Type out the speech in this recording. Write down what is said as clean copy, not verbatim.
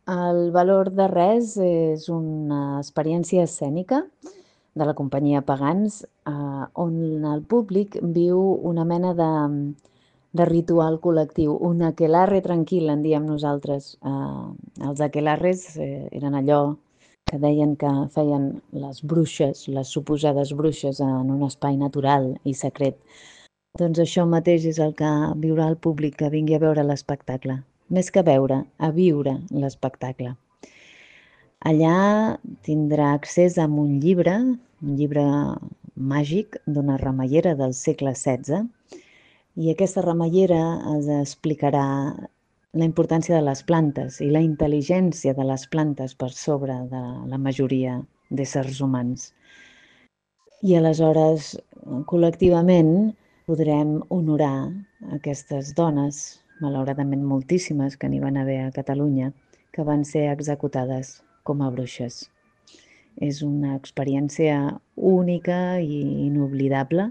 El valor de res és una experiència escènica de la companyia Pagans, on el públic viu una mena de ritual col·lectiu, un aquelarre tranquil, en diem nosaltres. Els aquelarres eren allò que deien que feien les bruixes, les suposades bruixes, en un espai natural i secret. Doncs això mateix és el que viurà el públic que vingui a veure l'espectacle. Més que veure, a viure l'espectacle. Allà tindrà accés a un llibre màgic d'una remeiera del segle XVI, i aquesta remeiera es explicarà la importància de les plantes i la intel·ligència de les plantes per sobre de la majoria d'éssers humans. I aleshores, col·lectivament, podrem honorar aquestes dones, malauradament moltíssimes que n'hi van haver a Catalunya, que van ser executades com a bruixes. És una experiència única i inoblidable